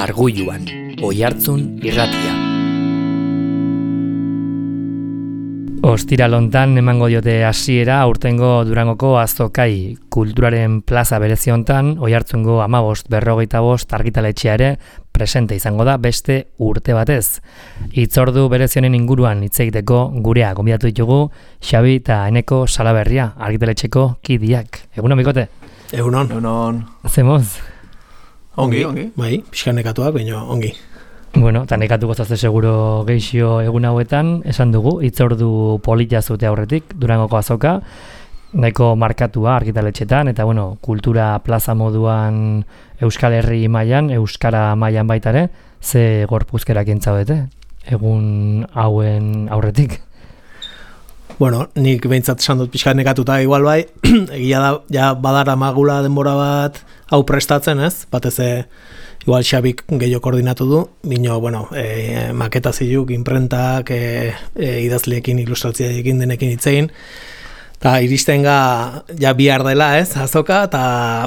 Argulluan, Oihartzun irratia. Ostiralontan emango diote hasiera aurtengo Durangoko azokai kulturaren plaza berezi hontan, Oihartzungo 15-45 argitaletxea ere presente izango da beste urte batez. Hitzordu berezionen inguruan hitz egiteko gurea gonbidatu ditugu Xabi eta Eneko Salaberria argitaletxeko kidiak. Egunon, bikote? Egunon. Zemoz? Ongi. Bai, pixka nekatuak, baina ongi. Bueno, eta nekatuko zazte seguro geixio egun hauetan, esan dugu, hitzordu polita zute aurretik, Durangoko azoka, nahiko markatua argitaletxetan, eta bueno, kultura plaza moduan Euskal Herri mailan, Euskara mailan baitare, ze gorpuzkerak entzaudete, egun hauen aurretik? Bueno, nik behintzat esan dut pixka nekatuta igual bai, egia da, ja badara magula denbora bat hau prestatzen, ez? Batez igual Xabik gehiago koordinatu du, bino, bueno, maketa ziluk, imprentak, idazleekin, ilustrazioekin denekin hitzein, eta iristen ja bihar dela, ez, azoka, eta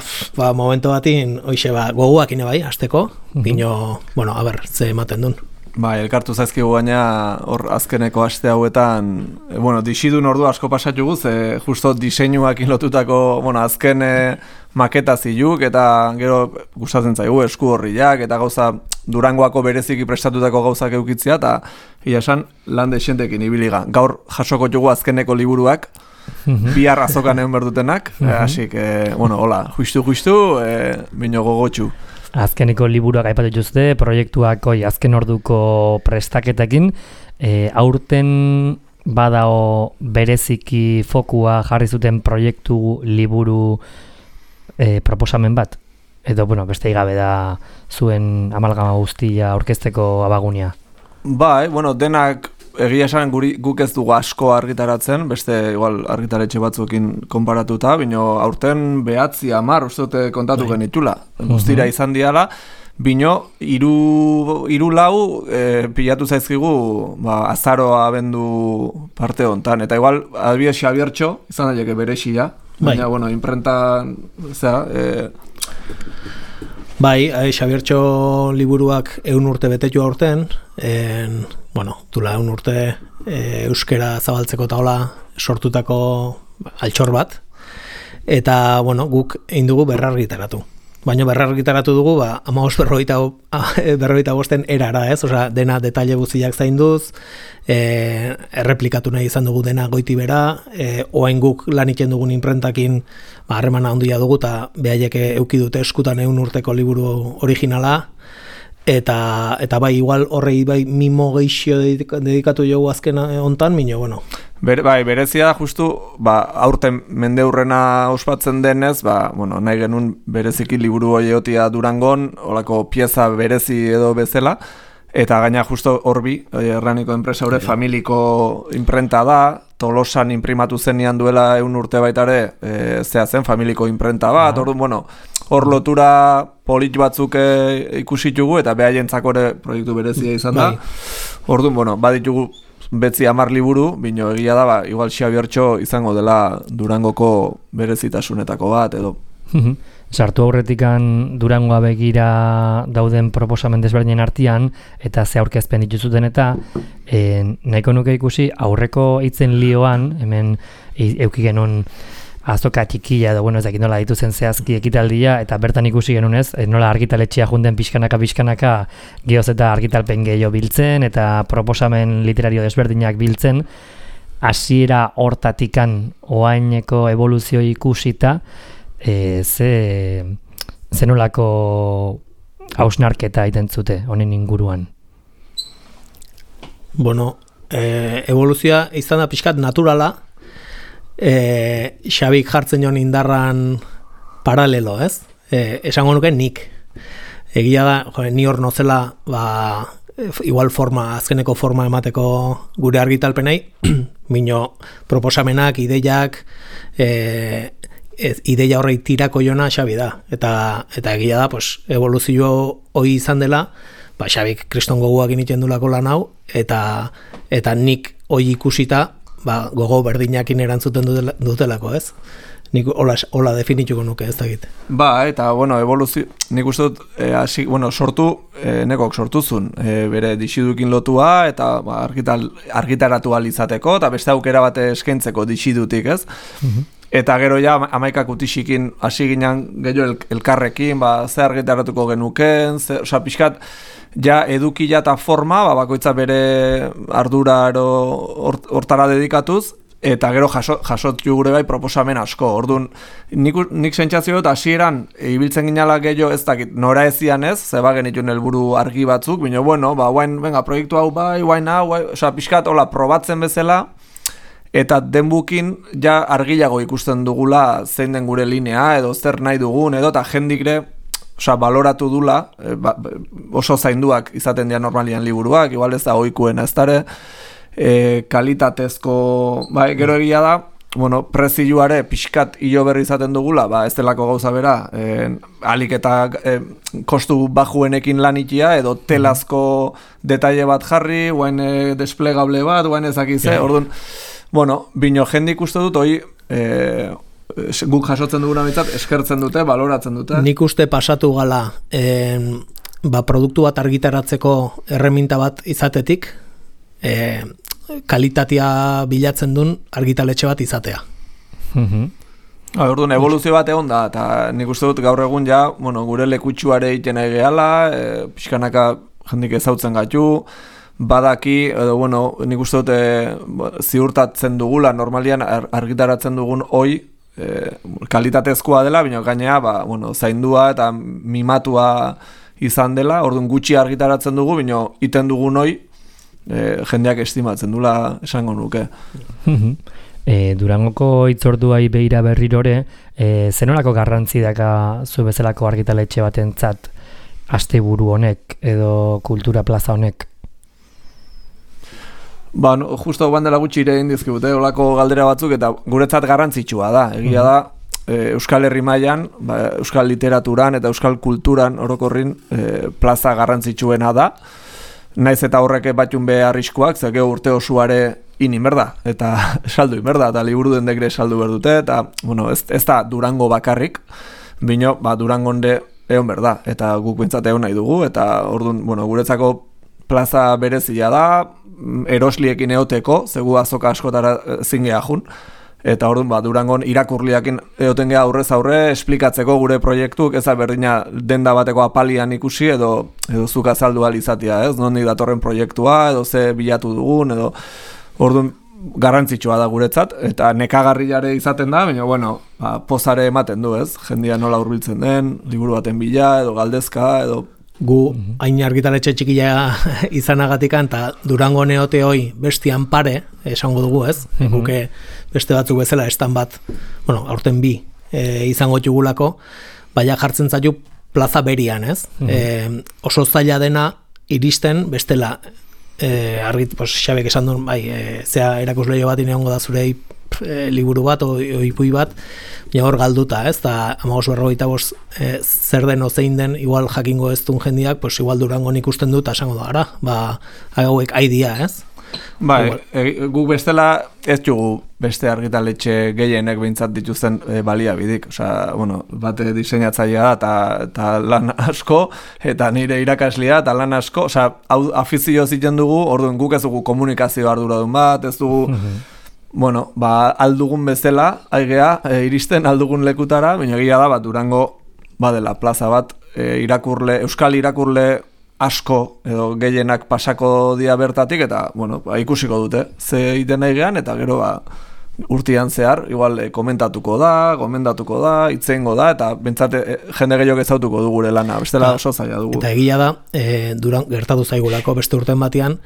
momento batin, hoxe, goguak ine bai, hasteko, bino, bueno, a ber, ze ematen duen. Bai, elkartu zaizkigu gaina hor azkeneko aste hauetan, bueno, disidun ordu asko pasatugu, ze justo diseinuakin lotutako, bueno, azken maketa ziluk, eta gero gustatzen zaigu esku horriak, eta gauza Durangoako bereziki prestatutako gauzak eukitzia, eta ia esan lan dexentekin ibiliga. Gaur jasoko dugu azkeneko liburuak, bihar azokan egon berdutenak, así que, bueno, hola, justu, bino gogotxu. Azkeneko liburuak aipatu dituzte, proiektuak azken orduko prestaketekin, aurten badao bereziki fokua jarri zuten proiektu liburu proposamen bat, edo bueno, beste igabe da zuen amalgama guztia aurkezteko abagunia. Bai, bueno, denak egia esan guk ez dugu asko argitaratzen, beste igual argitaletxe batzuekin konparatuta, bino aurten 9-10 uste dute kontatu genitula. Guztira izan diala, bino 3-4 pilatu zaizkigu azaroa abendu parte hontan. Eta igual, adibidez Xabiertxo, izan daileke berexia, baina, bueno, imprentan, Bai, Xabiertxo liburuak 100 urte betetu aurten, bueno, dula 100 urte euskera zabaltzeko taola sortutako altxor bat, eta, bueno, guk egin dugu berrargitaratu. Baina berrargitaratu dugu, 15-45 erara, ez? Osea, dena detaile guztiak zainduz, erreplikatu nahi izan dugu dena goiti bera, oain guk lan iten dugun inprentakin harremana handia dugu, eta behaiek euki dute eskutan 100 urteko liburu originala, eta bai, igual horrei bai mimo geixio dedikatu jogu azken hontan, mino, bueno. Bai, berezia da justu, aurten mendeurrena ospatzen denez, bueno, nahi genuen bereziki liburu hoiotia Durangon, olako pieza berezi edo bezala, eta gaina justo horbi, erraniko enpresa hori familiko imprenta da, Tolosan imprimatu zenian duela 100 urte baitare, zen familiko imprenta bat, orduan, bueno, hor lotura polit batzuk ikusitugu, eta behaientzako ere proiektu berezia izan da. Orduan, bueno, baditugu 9-10 liburu, bino egia da, igual Xabiertxo izango dela Durangoko berezitasunetako bat, edo. Sartu aurretikan Durangoa begira dauden proposamen desberdinen artean, eta ze aurkezpen dituzuten eta nahiko nuke ikusi aurreko hitzen lioan, hemen euki genuen azoka txikia edo, bueno, ez dakit nola dituzen zehazki ekitaldia, eta bertan ikusi genunez, nola argitaletxea junden pixkanaka geoz eta argitalpen gehiago biltzen, eta proposamen literario desberdinak biltzen, hasiera hortatikan oaineko evoluzio ikusita, ze nolako hausnarketa egiten zute honen inguruan? Bueno, evoluzioa izan da pixkat naturala, Xabik jartzen joan indarran paralelo, ez? Esango nuke nik. Egia da, ni hor nozela, igual azkeneko forma emateko gure argitalpenei, bino proposamenak, ideiak, ideia horrei tirako jona Xabi da. Eta egia da, evoluzio hori izan dela, Xabik kriston gogoak initen dulako lan hau, eta nik hori ikusita, gogo berdinakin erantzuten dutelako, ez? Nik hola definituko nuke ez dakit. Ba, eta, bueno, evoluzio, nik uste dut, nekok sortuzun, bere dixidukin lotua, eta argitaratu alizateko, eta beste aukera bate eskaintzeko dixidutik, ez? Eta gero ja, 11 utixikin hasi ginen gehiago elkarrekin, ze argitaratuko genuken, pixkat, ja edukila eta forma, bakoitza bere ardura hortara dedikatuz, eta gero jasotu gure bai proposamen asko. Orduan, nik sentsazio dut hasieran ibiltzen ginala gehiago ez dakit, nora ezian ez, zeba genituen helburu argi batzuk, baina bueno, proiektu hau bai, pixkat, hola, probatzen bezala, eta denbukin ja argilago ikusten dugula zein den gure linea, edo zer nahi dugun, edo eta jendikre baloratu dula, oso zainduak izaten dira normalian liburuak, igual ez da ohikuena ez dara, kalitatezko, gero egia da, prezioare pixkat hilo berri izaten dugula, ez delako gauza bera, alik eta kostu bajuenekin lanitia, edo telazko detaile bat jarri, guain desplegable bat, guain ezakize, orduan, bino jendik uste dut, guk jasotzen duguna bitzat, eskertzen dute, baloratzen dute. Nik uste pasatu gala, produktu bat argitaratzeko erreminta bat izatetik, kalitatea bilatzen duen argitaletxe bat izatea. Orduan, evoluzio bat egon da, eta nik uste dut gaur egun ja, gure lekutsuare egiten nahi gehala, pixkanaka jendik ezautzen gaitu, badaki, edo, nik uste dut ziurtatzen dugula, normalian argitaratzen dugun hoi, kalitatezkoa dela, baina gainea, zaindua eta mimatua izan dela, orduan gutxi argitaratzen dugu, baina iten dugun hoi, jendeak estimatzen dula esango nuke. Durangoko hitzorduai beira berrirore, zenolako garrantzi daka zu bezalako argitaletxe batentzat asteburu honek edo kultura plaza honek? Justo bandela gutxi ere indizkibute, olako galdera batzuk, eta guretzat garrantzitsua da. Egia da, Euskal Herri mailan, Euskal Literaturan eta Euskal Kulturan orokorrin plaza garrantzitsuena da. Naiz eta horrek batxun be arriskuak, zeke urte osuare inmerda, eta saldu inmerda, eta liburu dendekre saldu berdute, eta ez da Durango bakarrik, bino, Durangonde egon berda, eta guk bintzat egon nahi dugu, eta orduan, guretzako plaza berezia da, erosliekin eoteko, zegu azoka askotara zingea jun, eta orduan, Durangon irakurliakin eoten geha aurrez aurre, esplikatzeko gure proiektuk, eza berdina denda bateko apalian ikusi, edo zuk azaldu alizatia, ez? Nondik datorren proiektua, edo ze bilatu dugun, edo orduan, garrantzitsua da guretzat, eta nekagarriare izaten da, baina, pozare ematen du, ez? Jendia nola hurbiltzen den, liburu baten bila, edo galdezka, edo gu hain argitaletxe txikila izanagatikan, eta Durango neote hoi bestian pare, esango dugu ez, guke beste batzuk bezala estan bat, aurten bi izango txugulako, baina jartzen zaitu plaza berian ez, oso zaila dena iristen bestela, Xabek esan duen, zea erakusleio bat ineongo da zure liburu bat, oipui bat, hor galduta, ez, eta 15-45 zer den ozein den, igual jakingo ez duen jendiak, igual Durangon ikusten dut, esango da, hauek aidia, ez? Guk bestela ez jugu beste argitaletxe gehienek behintzat dituzten baliabidik, bate diseinatzailea da, eta lan asko, eta nire irakaslea, eta lan asko, afizio ziten dugu, orduan guk ez dugu komunikazio arduradun bat, ez dugu, aldugun bezala, aigea, iristen aldugun lekutara, baina egia da, Durango badela plaza bat, euskal irakurle asko edo gehienak pasako dia bertatik, eta ikusiko dute, ze egiten nahi gehan, eta gero urtean zehar, igual komentatuko da, gomendatuko da, itzeingo da, eta bentsate jende gehiago ezautuko du gure lana, bestela oso zaila dugu. Eta egia da, gertatu zaigulako beste urten batean,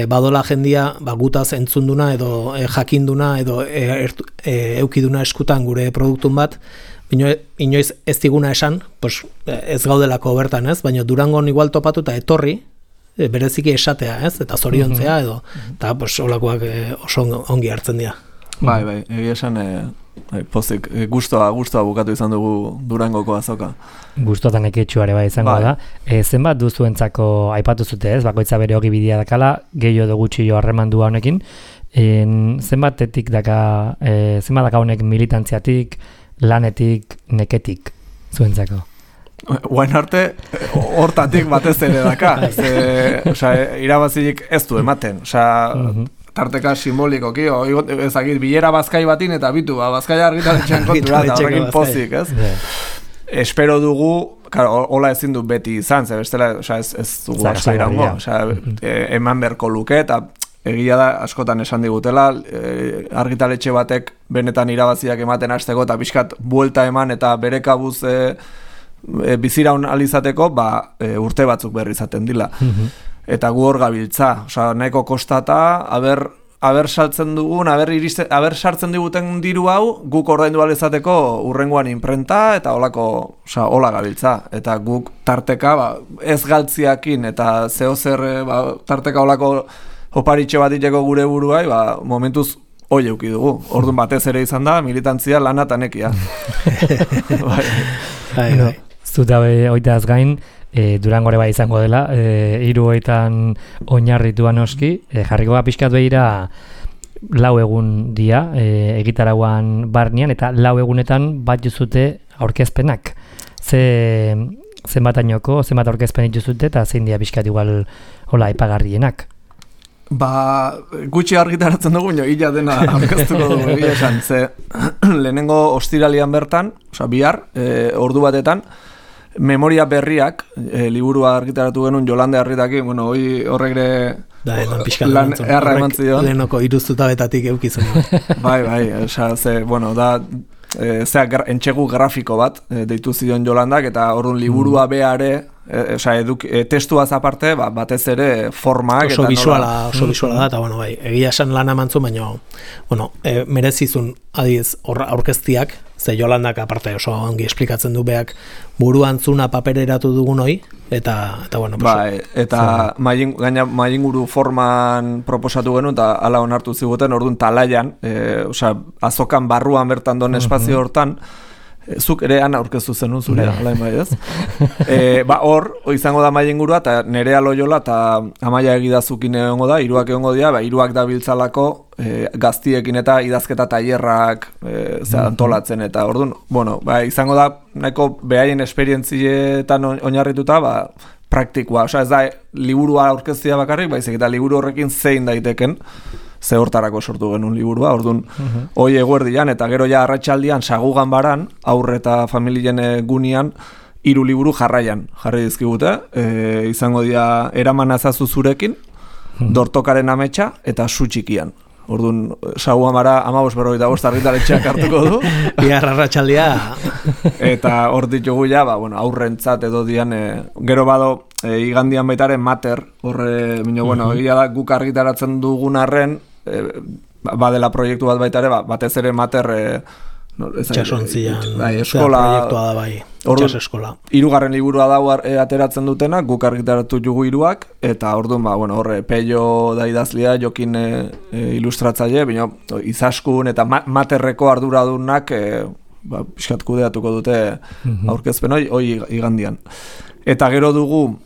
badola jendia gutaz entzunduna edo jakinduna edo eukiduna eskutan gure produktun bat, inoiz ez diguna esan, ez gaudelako bertan, ez? Baina Durangon igual topatu eta etorri, bereziki esatea, ez? Eta zoriontzea edo, eta olakoak oso ongi hartzen dira. Bai, egia esan pozik, gustoa bukatu izan dugu Durangoko azoka. Gustoa eta neketxuare izango da. Zenbat duzuentzako aipatu zute, ez? Bakoitza bere hogi bidea dakala, gehiago edo gutxi jo harremandua honekin, zenbatetik daka, zenbat daka honek militantziatik, lanetik, neketik, zuentzako? Guain arte, hortatik batez ere daka. Irabazilik ez du ematen. Tarteka simbolikoki, ezakit, bilera bazkai batin eta bitu, bazkaia argitaletxean kontura, eta horrekin pozik, ez? Espero dugu, hola ezin du beti izan, ze bestela, ez dugu asko irango, eman berko luke, eta egia da, askotan esan digutela, argitaletxe batek benetan irabaziak ematen hasteko, eta pixkat buelta eman, eta bere kabuz biziraun alizateko, urte batzuk berri izaten dila. Eta gu hor gabiltza, nahiko kostata, aber saltzen dugun, aber sartzen diguten diru hau, guk ordaindu alizateko urrengoan imprenta, eta hola gabiltza. Eta guk tarteka, ez galtziakin, eta zehozer tarteka holako oparitxe bat iteko gure buruai, momentuz hoi euki dugu. Orduan batez ere izan da, militantzia lana eta nekia. Zuta oitaz gain, Durangore bai izango dela, 3 oinarrituan oski, jarriko pixkat behira 4 egun dia, egitarauan barnean, eta 4 egunetan bat juzute aurkezpenak. Zenbat aurkezpen dituzute, eta zein dia pixkat igual hola aipagarrienak. Gutxi argitaratzen dugu, ila dena aurkeztuko dugu, esan, ze lehenengo ostiralian bertan, bihar, ordu batetan, memoria berriak, liburua argitaratu genuen Jolande Arritakin, horregre lan eharra eman zion. Lehenoko iruztutabetatik eukizun. Bai, entxegu grafiko bat deitu zion Jolandak, eta orduan liburua beare, testuaz aparte, batez ere formak. Oso visuala da, eta egia esan lana mantzu, baina merezizun adiz aurkeztiak, ze Jolandak aparte oso ongi esplikatzen du beak buruan zuna papereratu dugun hoi, eta mailinguru forman proposatu genuen, eta ala onartu ziguten, orduan talaian, azokan barruan bertan don espazio hortan, zuk ere ana aurkeztu zenun zure, alain bai ez? Hor izango da mailingurua, eta Nerea Loyola eta Amaia Egidazukin egongo da, 3 egongo dira, 3 dabiltzalako gaztiekin eta idazketa tailerrak antolatzen, eta orduan, izango da nahiko behaien esperientzietan oinarrituta, praktikoa, ez da liburua aurkeztia bakarrik, baizik eta liburu horrekin zein daiteken, ze hortarako sortu genuen liburua, orduan hoi eguerdian, eta gero ja arratsaldian sagugan baran, aurre eta familien gunian, 3 liburu jarraian jarri dizkigute, izango dira eraman azazu zurekin, dortokaren ametsa eta su txikian. Orduan, sagugan bara 15:45 argitaletxeak hartuko du. Bihar arratsaldia. Eta hor ditugu ja, aurrentzat edo dian, gero bado, igandian baitaren mater, horre, egia da, guk argitaratzen dugun arren, badela proiektu bat baitare, batez ere mater Itxasontzian eskola proiektua da bai, itxas eskola. 3. liburua da ateratzen dutena, guk argitaratu jugu 3, eta orduan, horre, Peio da idazlea, Jokin ilustratzaile, baina izaskun eta materreko arduradunak pixkat kudeatuko dute aurkezpen hoi igandian. Eta gero dugu,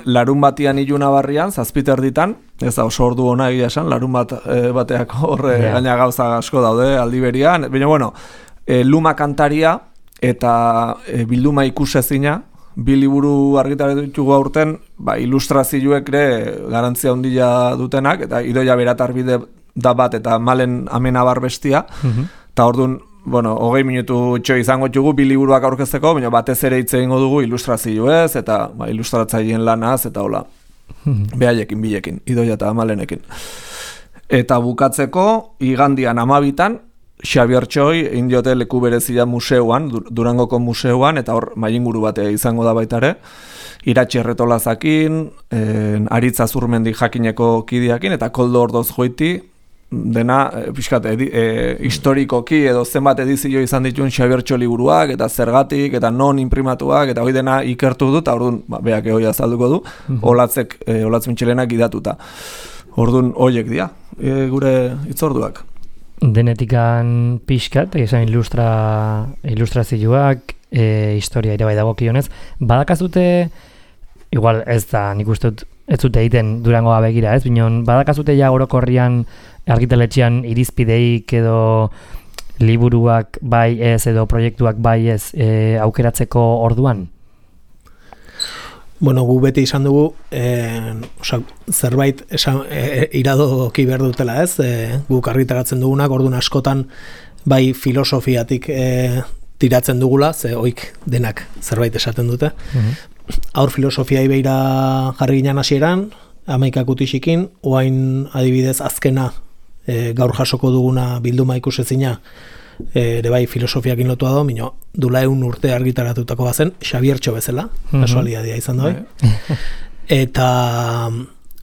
larun batian iluna barrian, 7 ditan, ez da oso ordu hona egia esan, larun bateak horre gaina gauza asko daude aldiberian, baina Luma kantaria eta bilduma ikusezina, 2 liburu argitaratuko aurten, ilustrazioek ere garantzia handia dutenak, eta Idoia Beratarbide da bat, eta Malen Amenabar bestia, eta orduan 20 minutu izango dugu 2 liburuak aurkezteko, baina batez ere hitz egingo dugu ilustrazioez, eta ilustratzaileen lanaz, eta hola, behaiekin, bilekin, Idoia eta Malenekin. Eta bukatzeko, igandian 12 Xabier Txoi egin diote leku berezia museuan, Durangoko museuan, eta hor mailinguru batea izango da baitare, Iratxe Erretolazakin, Aritza Zurmendi Jakineko kideakin, eta Koldo Ordoz Goiti, dena, pixkat, historikoki edo zenbat edizio izan dituen Xabier Txo liburuak, eta zergatik, eta non imprimatuak, eta hoi dena ikertu du, eta orduan, beak hoi azalduko du, Olatz Mintxelenak idatuta. Orduan, hoiek dira, gure itzorduak. Denetikan pixkat, esan ilustrazioak, historia ere bai dagokionez, badakazute, igual ez da, nik uste dut, ez zute egiten Durangoa begira, ez? Binon, badakazute ja orokorrian argitaletxean irizpideik edo liburuak bai ez edo proiektuak bai ez aukeratzeko orduan? Bueno, gu beti izan dugu, zerbait iradoki behar dutela, ez? Guk argitaratzen dugunak, orduan askotan bai filosofiatik tiratzen dugula, ze oik denak zerbait esaten dute. Aur filosofiai beira jarri ginen hasieran, 11 utixikin, oain adibidez azkena gaur jasoko duguna bilduma ikusezina, ere bai filosofiakin lotua da, mino, dula 100 urte argitaratutako bazen, Xabiertxo bezala, kasualidadia izan da, Eta,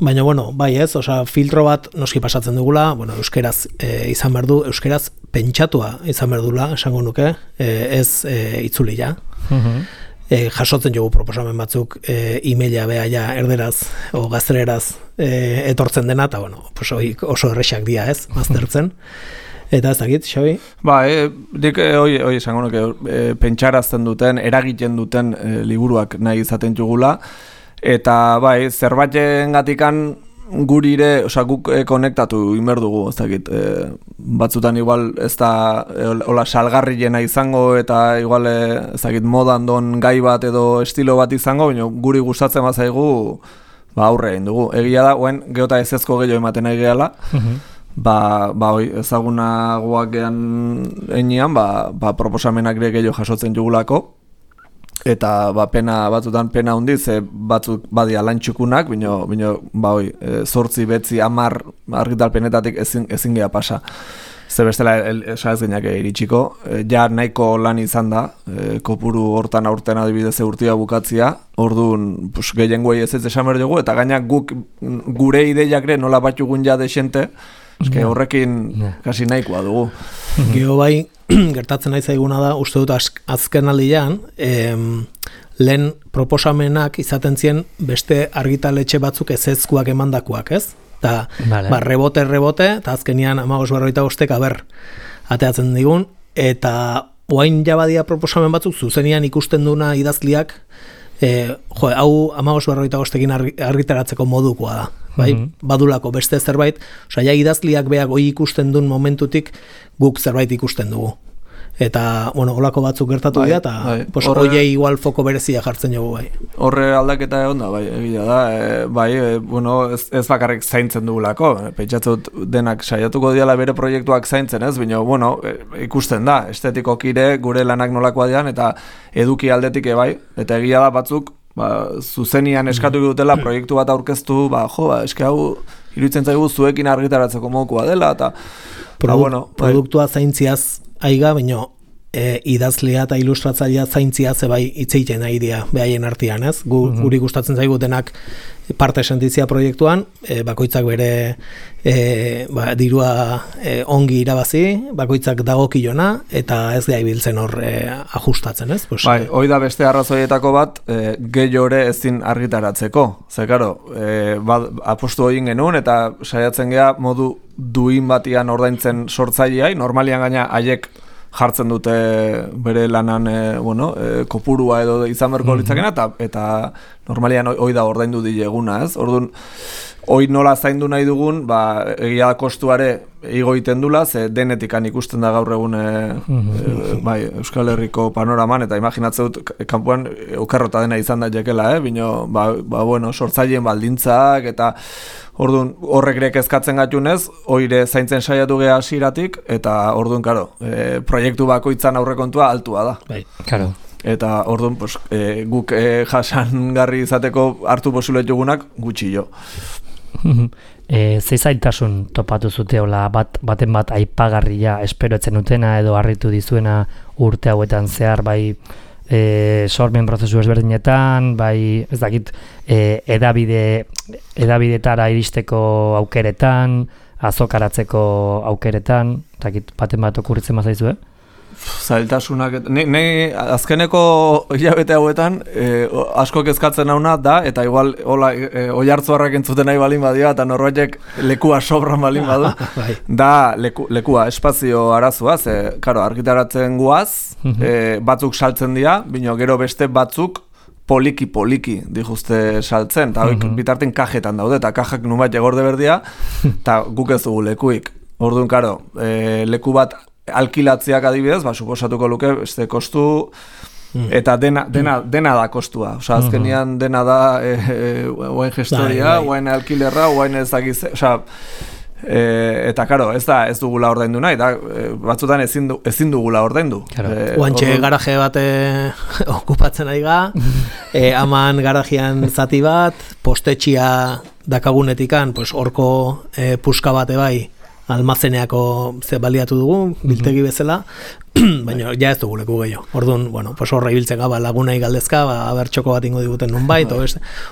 baina, bueno, bai ez, filtro bat noski pasatzen dugula, bueno, euskeraz izan behar du, euskeraz pentsatua izan behar dula, esango nuke, ez itzuli ja. Jasotzen jogu proposamen batzuk e-maila beha ja erderaz o gazteleraz etortzen dena, eta bueno, pues, oso errexak dia ez, maztertzen. Eta ez dakit, Xabi? Ba, dik hoi esango nuke pentsarazten duten, eragiten duten liburuak nahi izaten jugula, eta bai, zerbaiten gatikan gurire, guk konektatu inber dugu, ez dakit, batzutan igual ez da hola salgarriena izango eta igual ez dakit modan don gai bat edo estilo bat izango, baina guri gustatzen bazaigu aurre egin dugu. Egia da, oen geota ezezko gehiago ematen nahi gehala, hoi ezagunagoak gehan enean, proposamenak ere gehiago jasotzen jugulako, eta batzutan pena hundiz, batzuk badia lantxukunak, bino 8, 9, 10 argitalpenetatik ezin geha pasa. Ze bestela ez genak iritsiko, ja nahiko lan izan da, kopuru hortan aurten adibidez urtia bukatzia, orduan gehiengoei ez esan behar dugu, eta gainak gure ideiak nola batxugun ja desente, horrekin kasi nahikoa dugu. Gero bai, gertatzen nahi zaiguna da, uste dut azken aldian, lehen proposamenak izaten zien beste argitaletxe batzuk ezezkoak emandakoak, ez? Eta rebote, eta azkenian 15-45 aber ateatzen digun, eta oain jabadia proposamen batzuk zuzenian ikusten duna idazliak, hau 15-45ekin argitaratzeko modukoa da. Bai, badulako beste zerbait, ja idazliak beak hoi ikusten duen momentutik guk zerbait ikusten dugu. Eta, bueno, holako batzuk gertatu dira, eta hoiei igual foko berezia jartzen dugu, bai. Horre aldaketa egon da, bai, egia da, bueno, ez bakarrik zaintzen dugulako, pentsatzut denak saiatuko diala bere proiektuak zaintzen, ez, baina, bueno, ikusten da, estetikokire gure lanak nolakoa dian, eta eduki aldetik bai, eta egia da batzuk, zuzenian eskatu dutela proiektu bat aurkeztu, eske hau iruditzen zaigu zuekin argitaratzeko mokoa dela, eta produktua zaintziaz aiga, baina idazlea eta ilustratzailea zaintzia zebai itzeiten nahi dira behaien artean, ez? Guri gustatzen zaigu denak parte sentizia proiektuan, bakoitzak bere dirua ongi irabazi, bakoitzak dagokilona, eta ez da ibiltzen hor ajustatzen, ez? Bai, hoi da beste arrazoietako bat, gehiore ezin argitaratzeko. Ze, karo, apostu egin genuen, eta saiatzen gea modu duin batian ordaintzen sortzaileai, normalian gaina haiek jartzen dute bere lanan kopurua edo izan berko litzakena, eta normalian hoi da ordaindu dileguna, ez? Orduan, hoi nola zaindu nahi dugun, egia da kostuare igo iten dula, ze denetikan ikusten da gaur egun Euskal Herriko panoraman, eta imaginatzen dut, kanpoan okerrota dena izan da jekela, bino, sortzaileen baldintzak, eta orduan, horrek ere kezkatzen gatunez, oire zaintzen saiatu geha hasieratik, eta orduan, karo, proiektu bakoitzan aurrekontua altua da. Bai, karo. Eta orduan, guk jasangarri izateko hartu posibiletugunak gutxi jo. Ze zailtasun topatu zuteola baten bat aipagarria esperoetzen utena edo harritu dizuena urte hauetan zehar, bai sormen prozesu ezberdinetan, bai ez dakit edabidetara iristeko aukeretan, azokaratzeko aukeretan, ez dakit baten bat okurritzen mazaizue? Zailtasunak, azkeneko hilabete hauetan asko kezkatzen nauna da, eta igual oihartzuarrak entzuten nahi balin badia, eta norbaitek lekua sobran balin badu, da lekua, espazio arazoa, karo, argitaratzen guaz, batzuk saltzen dira, bino gero beste batzuk poliki dijuzte saltzen, eta bitarten kajetan daude, eta kajak nunbait egorde berdia, eta guk ez dugu lekuik. Orduan, karo, leku bat alkilatziak adibidez, suposatuko luke, beste kostu, eta dena da kostua. Osa, azkenian dena da oain gestoria, oain alkilerra, oain ez dakiz, osa, eta karo, ez dugula ordaindu nahi, eta batzutan ezin dugula ordaindu. Oantxe garaje bat okupatzen ari ga, haman garajean zati bat, postetxia dakagunetikan, horko puska bate bai, almazeneako ze baliatu dugu, biltegi bezala, baina ja ez dugu leku gehiago. Orduan, horra ibiltzen gaba lagunei galdezka, abertxoko bat ingo diguten nunbait,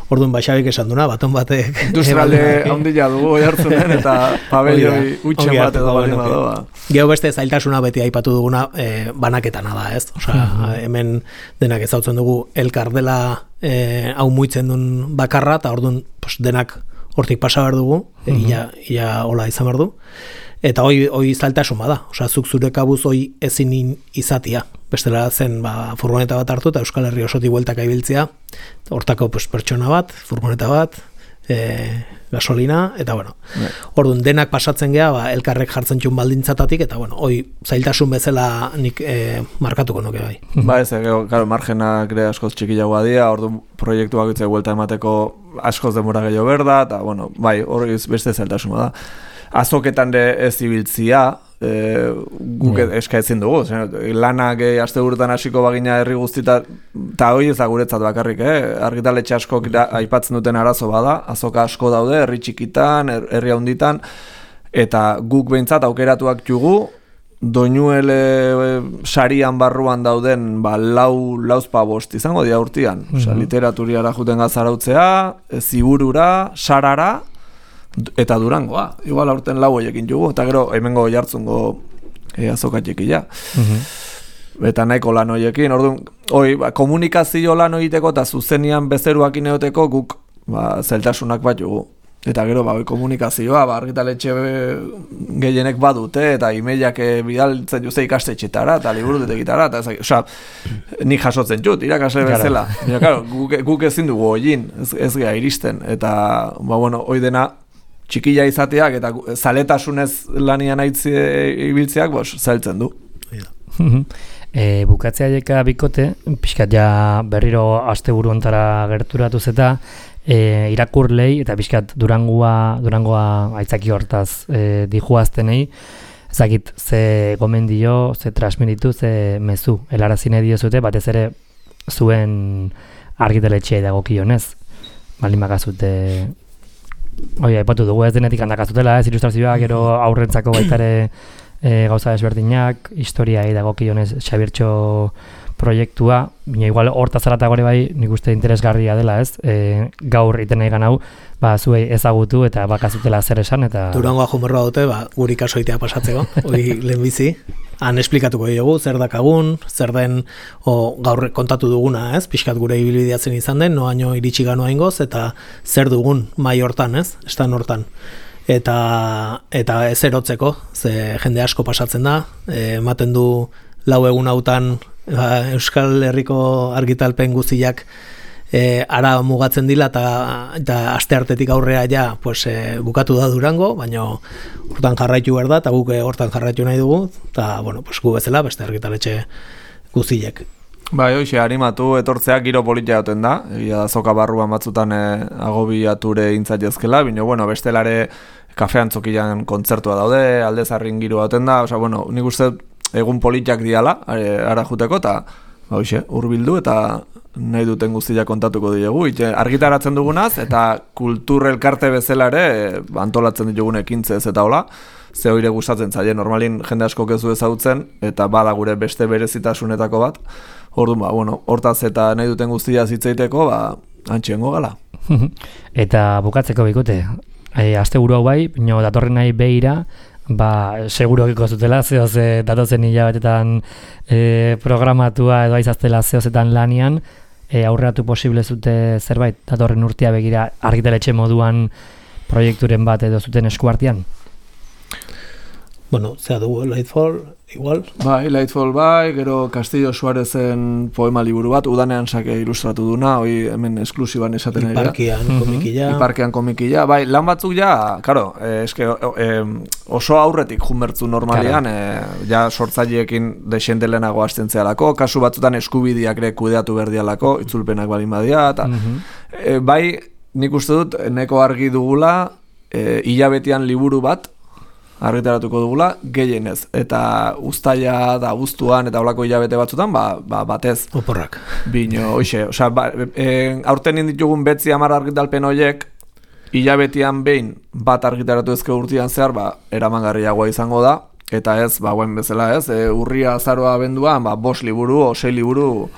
orduan Xabik esan duna, baton batek... Industrialde handila dugu jartzunen, eta pabelloi utxe bat edo bali badoa. Gero beste zailtasuna beti aipatu duguna, banaketana da, ez? Osea, hemen denak ezautzen dugu elkar dela hau muitzen duen bakarra, eta orduan denak hortik pasa behar dugu, ia hola izan behar du. Eta hoi zailtasun bada, osea, zuk zure kabuz hoi ezin izatia. Bestela zen furgoneta bat hartu eta Euskal Herri osotik bueltaka ibiltzea, hortako pertsona bat, furgoneta bat, gasolina, eta orduan denak pasatzen gea, elkarrek jartzen txun baldintzatatik, eta hoi zailtasun bezala nik markatuko nuke bai. Ez, claro, margenak ere askoz txikiagoa dira, orduan proiektuak itzai buelta emateko askoz denbora gehiago berda, eta hori beste zailtasuna da. Azoketan ez ibiltzia, guk eska ezin dugu, lanak aste guretan hasiko bagina herri guztita, eta hori ez da guretzat bakarrik, argitaletxe askok aipatzen duten arazo bada, azoka asko daude, herri txikitan, herri handitan, eta guk behintzat aukeratuak jugu, doinuele sarian barruan dauden lauzpa bost izango dia urtian, literaturiara juten gazarautzea, ziburura, sarara, eta Durangoa, igual aurten lau hoiekin jugu, eta gero hemengo jartzungo azokatxekila. Eta nahiko lan hoiekin, orduan, komunikazio lan hoiteko eta zuzenian bezeruak ineoteko guk zeltasunak bat jugu. Eta gero, komunikazioa, argitaletxe gehienek badute, eta emailak bidaltzen juze ikastetxetara, eta liburutetekitara, eta osea, nik jasotzen jut, irakasle bezala. Guk ezin dugu hoiin, ez geha iristen, eta, hoi dena, txikila izateak eta zaletasunez lanian aitzi ibiltzeak zailtzen du. Bukatzea jeka bikote, pixkat ja berriro asteburu ontara gerturatuz eta irakurlei eta pixkat Durangoa aitzaki hortaz dijuaztenei, ezakit ze gomendio, ze transmititu, ze mezu, helarazine diozute, batez ere zuen argitaletxea dagokionez, baldin bakazute... aipatu dugu ez denetik handakazutela, ilustrazioak, gero aurrentzako baitare gauza desberdinak, historiai dagokionez Xabirtxo proiektua, bina igual hortaz aratagore bai nik uste interesgarria dela, ez? Gaur iten nahi ganau, zuei ezagutu eta bakazutela zer esan, eta... Durangoa jumerroa dute, guri kasoitea pasatzeko, hori lehenbizi. Han esplikatuko dugu, zer dakagun, zer den gaur kontatu duguna, ez? Pixkat gure ibilbideatzen izan den, noaino iritsi ganoa ingoz, eta zer dugun mai hortan, ez? Estan hortan. Eta ez erotzeko, ze jende asko pasatzen da, ematen du lau egun hautan Euskal Herriko argitalpen guztiak ara mugatzen dila eta asteartetik aurrea ja bukatu da Durango, baina hortan jarraitu behar da, eta guk hortan jarraitu nahi dugu, eta gu bezala beste argitaletxe guztiek. Hoxe, animatu etortzeak giro politia joten da, egia azoka barruan batzutan agobiature intzat jazkela, baina bestelare kafean zokilan kontzertua daude, aldezarrin giro joten da, nik uste egun politiak diala, ara juteko, eta hurbildu eta nahi duten guztiak kontatuko ditugu. Argitaratzen dugunaz, eta kultur elkarte bezala ere antolatzen ditugun ekintzez eta hola, ze hoire gustatzen zaie, normalin jende asko kezu ezagutzen, eta bada gure beste berezitasunetako bat, orduan, hortaz eta nahi duten guztia zitzeiteko, antxengo gala. Eta bukatzeko bikote, asteburu hau bai, datorren nahi behira, seguro kiko zutela, zehoz datozen hilabetetan programatua edo aizaztela zehozetan lanian, aurreratu posible zute zerbait, datorren urtea begira argitaletxe moduan proiekturen bat edo zuten eskuartian? Bueno, zea dugu, Lightfall, igual. Bai, Lightfall bai, gero Castillo Suarezen poema liburu bat, udanean sake ilustratu duna, hoi hemen esklusiban esaten ari da. Iparkian komikilla. Iparkian komikilla, bai, lan batzuk ja, karo, oso aurretik junbertzu normalian, ja sortzaileekin desendelenago hasten zehalako, kasu batzutan eskubideak ere kudeatu berdialako, itzulpenak balin badia, eta bai, nik uste dut, neko argi dugula, hilabetean liburu bat, argitaratuko dugula, gehienez. Eta uztaila da abuztuan eta holako hilabete batzutan, batez. Oporrak. Bino, hoxe. Osea, aurten ditugun 10 argitalpen horiek, hilabetean behin bat argitaratu ezke urtean zehar, eramangarriagoa izango da. Eta ez, guen bezala ez, urria, azaroa, abenduan, 5 liburu o 6 liburu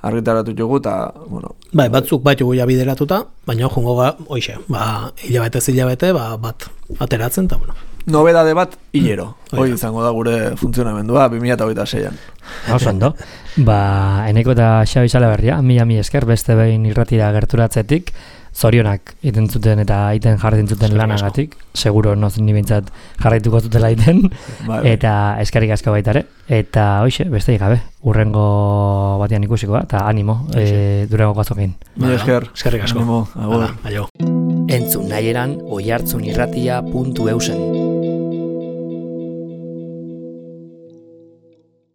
argitaratu dugu, eta, bueno. Bai, batzuk bat jugu ja bideratuta, baina jungo hoxe, hilabete, bat ateratzen, eta bueno. Nobedade bat, hilero. Hoi izango da gure funtzionamendua, 2026an. Oso ondo. Eneko eta Xabi Salaberria, mila esker, beste behin irratira gerturatzetik, zorionak iten zuten eta iten jarretin zuten lanagatik, seguro noz ni bintzat jarraituko zutela iten, eta eskerrik asko baitare, eta hoxe, beste gabe, urrengo batean ikusiko, eta animo, durango gazokin. Mila esker, eskerrik asko. Animo, agur. Aio. Entzun nahieran oihartzunirratia.eusen.